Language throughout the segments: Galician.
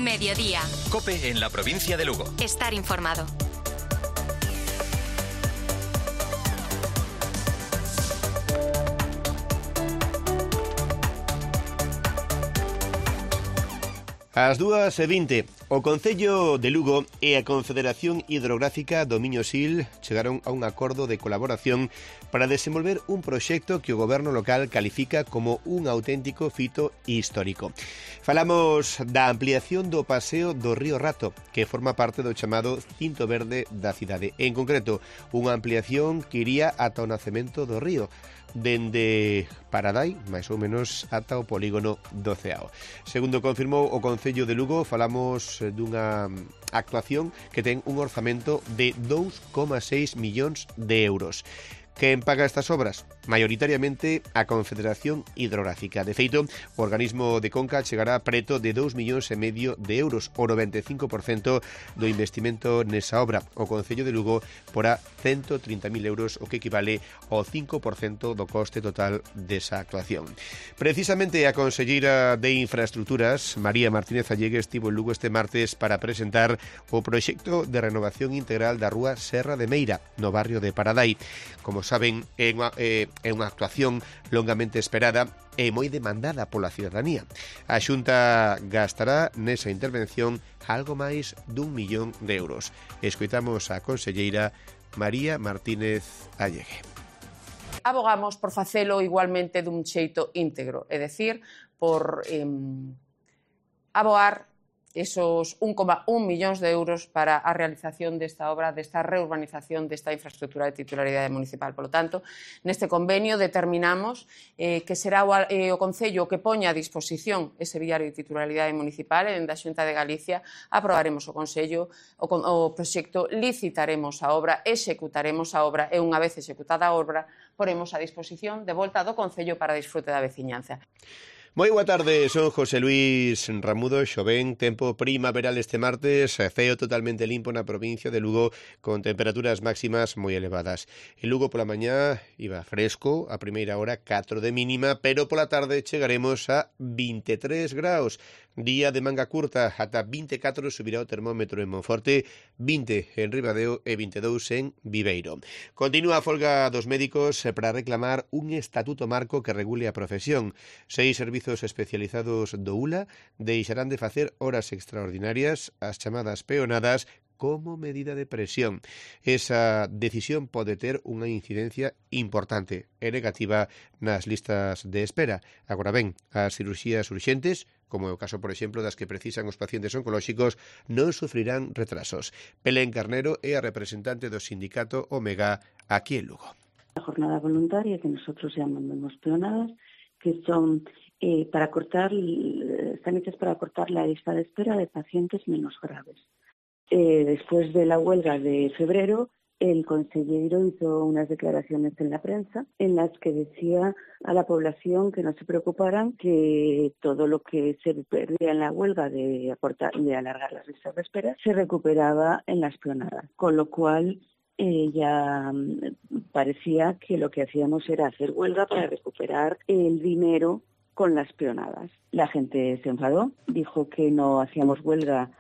Mediodía. COPE en la provincia de Lugo. Estar informado. Ás 2:20, o Concello de Lugo e a Confederación Hidrográfica do Miño Sil chegaron a un acordo de colaboración para desenvolver un proxecto que o goberno local califica como un auténtico fito histórico. Falamos da ampliación do paseo do Río Rato, que forma parte do chamado Cinto Verde da cidade. En concreto, unha ampliación que iría ata o nacemento do río, dende Paradai, máis ou menos, ata o polígono do Ceao. Segundo confirmou o Concello de Lugo, falamos dunha actuación que ten un orzamento de 2,6 millóns de euros. Quen paga estas obras? Maioritariamente a Confederación Hidrográfica. De feito, o organismo de Conca chegará preto de 2,5 millóns de euros, o 95% do investimento nesa obra. O Concello de Lugo porá 130.000 euros, o que equivale ao 5% do coste total desa actuación. Precisamente a conselleira de Infraestructuras, María Martínez Allegue, estivo en Lugo este martes para presentar o proxecto de renovación integral da rúa Serra de Meira, no barrio de Paradai. Como saben, é unha actuación longamente esperada e moi demandada pola cidadanía. A Xunta gastará nesa intervención algo máis d'1 millón de euros. Escoitamos a conselleira María Martínez Allegue. Abogamos por facelo igualmente dun xeito íntegro, é dicir, por aboar esos 1,1 millóns de euros para a realización desta obra, desta reurbanización desta infraestructura de titularidade municipal. Por lo tanto, neste convenio determinamos que será o Concello que poña a disposición ese viario de titularidade municipal, e dende a Xunta de Galicia aprobaremos o Consello o proxecto, licitaremos a obra, executaremos a obra e unha vez executada a obra poremos a disposición de volta do Concello para disfrute da veciñanza. Moi boa tarde, son José Luis Ramudo. Xoven, tempo primaveral este martes, ceo totalmente limpo na provincia de Lugo, con temperaturas máximas moi elevadas. En Lugo pola mañá iba fresco, a primeira hora 4 de mínima, pero pola tarde chegaremos a 23 graus. Día de manga curta, ata 24 subirá o termómetro en Monforte, 20 en Ribadeo e 22 en Viveiro. Continúa a folga dos médicos para reclamar un estatuto marco que regule a profesión. 6 servizos especializados do ULA deixarán de facer horas extraordinarias, as chamadas peonadas, como medida de presión. Esa decisión pode ter unha incidencia importante e negativa nas listas de espera. Agora ben, as cirurxías urxentes, como é o caso, por exemplo, das que precisan os pacientes oncolóxicos, non sufrirán retrasos. Belén Carnero é a representante do sindicato Omega aquí en Lugo. La jornada voluntaria, que nosotros llamamos peonadas, que son están hechas para cortar la lista de espera de pacientes menos graves. Después de la huelga de febrero, el consejero hizo unas declaraciones en la prensa en las que decía a la población que no se preocuparan, que todo lo que se perdía en la huelga de alargar las listas de espera se recuperaba en las peonadas, con lo cual ya parecía que lo que hacíamos era hacer huelga para recuperar el dinero con las peonadas. La gente se enfadó, dijo que no hacíamos huelga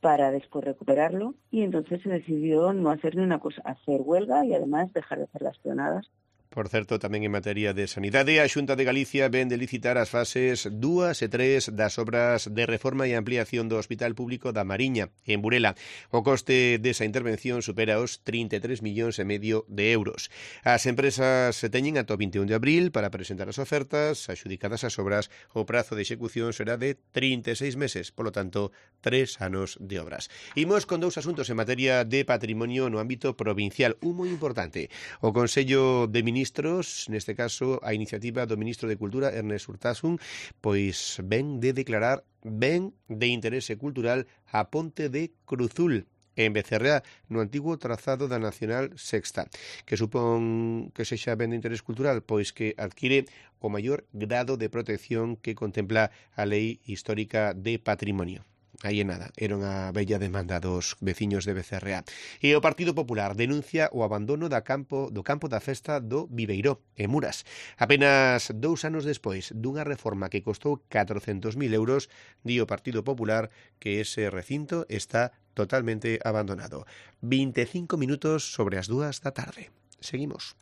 para después recuperarlo, y entonces se decidió no hacer ni una cosa, hacer huelga y además dejar de hacer las peonadas. Por certo, tamén en materia de sanidade, a Xunta de Galicia ven de licitar as fases 2 e 3 das obras de reforma e ampliación do Hospital Público da Mariña, en Burela. O coste desa intervención supera os 33,5 millóns de euros. As empresas teñen ata o 21 de abril para presentar as ofertas axudicadas ás obras. O prazo de execución será de 36 meses, polo tanto, 3 anos de obras. Imos con dous asuntos en materia de patrimonio no ámbito provincial, un moi importante. O Consello de Ministros, neste caso a iniciativa do ministro de Cultura, Ernest Urtasun, pois ven de declarar ben de interese cultural a ponte de Cruzul, en Becerreá, no antigo trazado da Nacional Sexta, que supón que sexa ben de interés cultural, pois que adquire o maior grado de protección que contempla a Lei Histórica de Patrimonio. Aí é nada, era unha bella demanda dos veciños de Becerrea. E o Partido Popular denuncia o abandono do campo da festa do Viveiró, en Muras. Apenas 2 anos despois dunha reforma que costou 400.000 euros, di o Partido Popular que ese recinto está totalmente abandonado. 25 minutos sobre as 2 da tarde. Seguimos.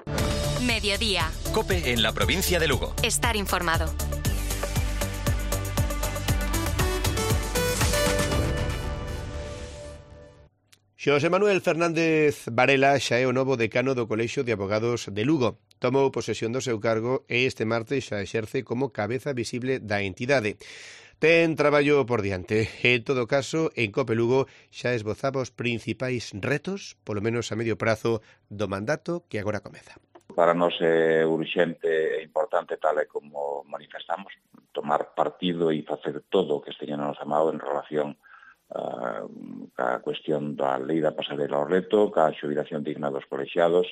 Mediodía. COPE en la provincia de Lugo. Estar informado. Xosé Manuel Fernández Varela xa é o novo decano do Colexio de Abogados de Lugo. Tomou posesión do seu cargo e este martes xa exerce como cabeza visible da entidade. Ten traballo por diante. En todo caso, en COPE Lugo xa esbozaba os principais retos, polo menos a medio prazo, do mandato que agora comeza. Para nós é urxente e importante, tal e como manifestamos, tomar partido e facer todo o que esteña na nosa mão en relación ca cuestión da lei da pasarela ao reto, ca xubilación digna dos colexiados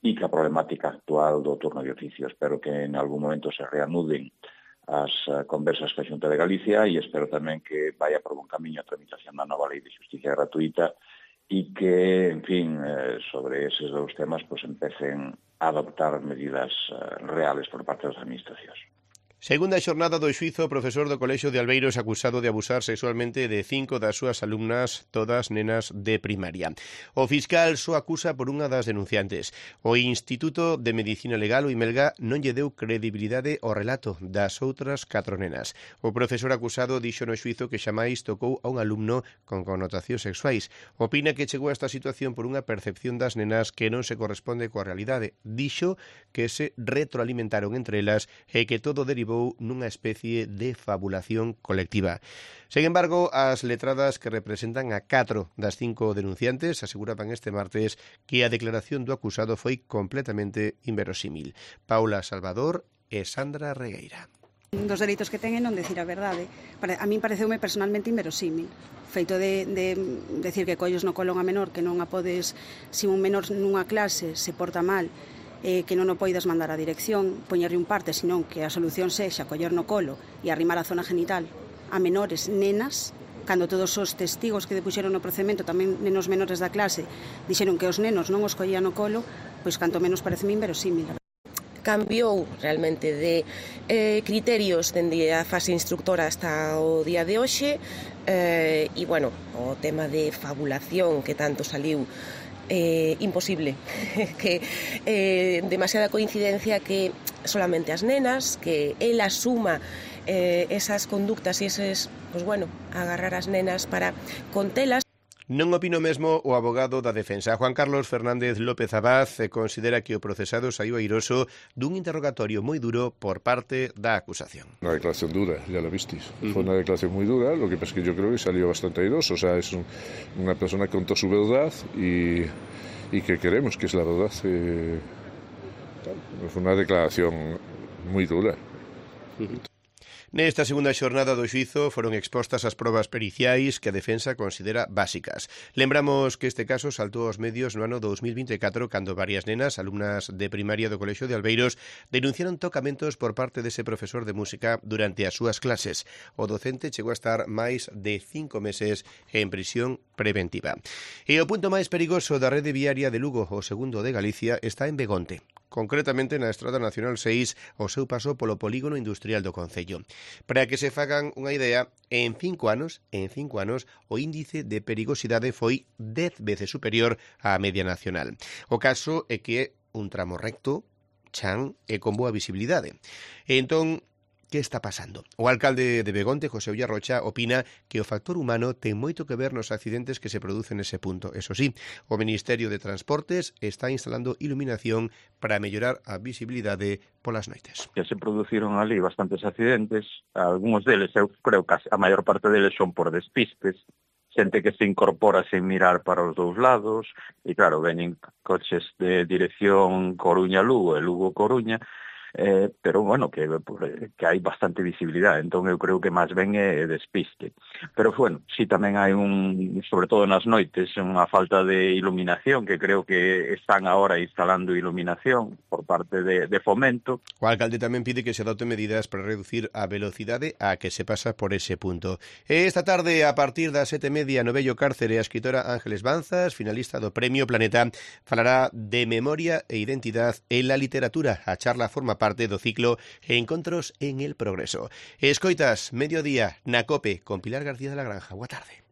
e ca problemática actual do turno de oficio. Espero que en algún momento se reanuden as conversas ca Xunta de Galicia e espero tamén que vaya por bon camiño a tramitación da nova lei de xusticia gratuita e que, en fin, sobre eses dous temas pues empecen a adoptar medidas reales por parte das administracións. Segunda xornada do xuízo, o profesor do Colexio de Albeiros acusado de abusar sexualmente de 5 das súas alumnas, todas nenas de primaria. O fiscal só acusa por unha das denunciantes. O Instituto de Medicina Legal, o IMELGA, non lle deu credibilidade ao relato das outras 4 nenas. O profesor acusado dixo no xuízo que xamais tocou a un alumno con connotacións sexuais. Opina que chegou a esta situación por unha percepción das nenas que non se corresponde coa realidade. Dixo que se retroalimentaron entre elas e que todo derivou nunha especie de fabulación colectiva. Sen embargo, as letradas que representan a 4 das 5 denunciantes aseguraban este martes que a declaración do acusado foi completamente inverosímil. Paula Salvador e Sandra Regueira. Dos dereitos que ten é non decir a verdade. A min pareceume personalmente inverosímil. Feito de decir que colles no colo a menor, que non a podes, se un menor nunha clase se porta mal, que non o poidas mandar á dirección, poñerlle un parte, senón que a solución sexa coller no colo e arrimar a zona genital a menores nenas, cando todos os testigos que depuxeron no procedimento, tamén nenos menores da clase, dixeron que os nenos non os collían no colo, pois canto menos pareceme inverosímil. Cambiou realmente de criterios dende a fase instructora hasta o día de hoxe e, bueno, o tema de fabulación que tanto saliu imposible, que demasiada coincidencia que solamente as nenas, que el asuma esas conductas e eses, pues bueno, agarrar as nenas para contelas. Non opino mesmo o abogado da defensa. Juan Carlos Fernández López Abad considera que o procesado saiu airoso dun interrogatorio moi duro por parte da acusación. Una declaración dura, ya lo visteis. Fue una declaración muy dura, lo que pasa es que yo creo que salió bastante airoso. O sea, es una persona que contó su verdad y que queremos que es la verdad. Fue una declaración muy dura. Nesta segunda xornada do xuízo foron expostas as probas periciais que a defensa considera básicas. Lembramos que este caso saltou aos medios no ano 2024 cando varias nenas, alumnas de primaria do Colexio de Albeiros, denunciaron tocamentos por parte dese profesor de música durante as súas clases. O docente chegou a estar máis de 5 meses en prisión preventiva. E o punto máis perigoso da rede viaria de Lugo, o segundo de Galicia, está en Begonte. Concretamente na Estrada Nacional 6, o seu paso polo polígono industrial do concello. Para que se fagan unha idea, en 5 anos, o índice de perigosidade foi 10 veces superior á media nacional. O caso é que é un tramo recto, chan e con boa visibilidade. E entón, que está pasando? O alcalde de Begonte, José Ulla Rocha, opina que o factor humano ten moito que ver nos accidentes que se producen nese punto. Eso sí, o Ministerio de Transportes está instalando iluminación para mellorar a visibilidade polas noites. Que se produciron ali bastantes accidentes, algúns deles, eu creo que a maior parte deles son por despistes, xente que se incorpora sen mirar para os dous lados, e claro, veñen coches de dirección Coruña-Lugo e Lugo-Coruña, pero, bueno, que hai bastante visibilidade, entón eu creo que máis ben é despiste. Pero, bueno, sí tamén hai sobre todo nas noites, unha falta de iluminación, que creo que están agora instalando iluminación por parte de Fomento. O alcalde tamén pide que se adopten medidas para reducir a velocidade a que se pasa por ese punto. Esta tarde, a partir das 7:30, no vello cárcere, a escritora Ángeles Banzas, finalista do Premio Planeta, falará de memoria e identidade en la literatura. A charla forma parte do ciclo Encontros en el Progreso. Escoitas, mediodía, na COPE, con Pilar García de la Granja. Boa tarde.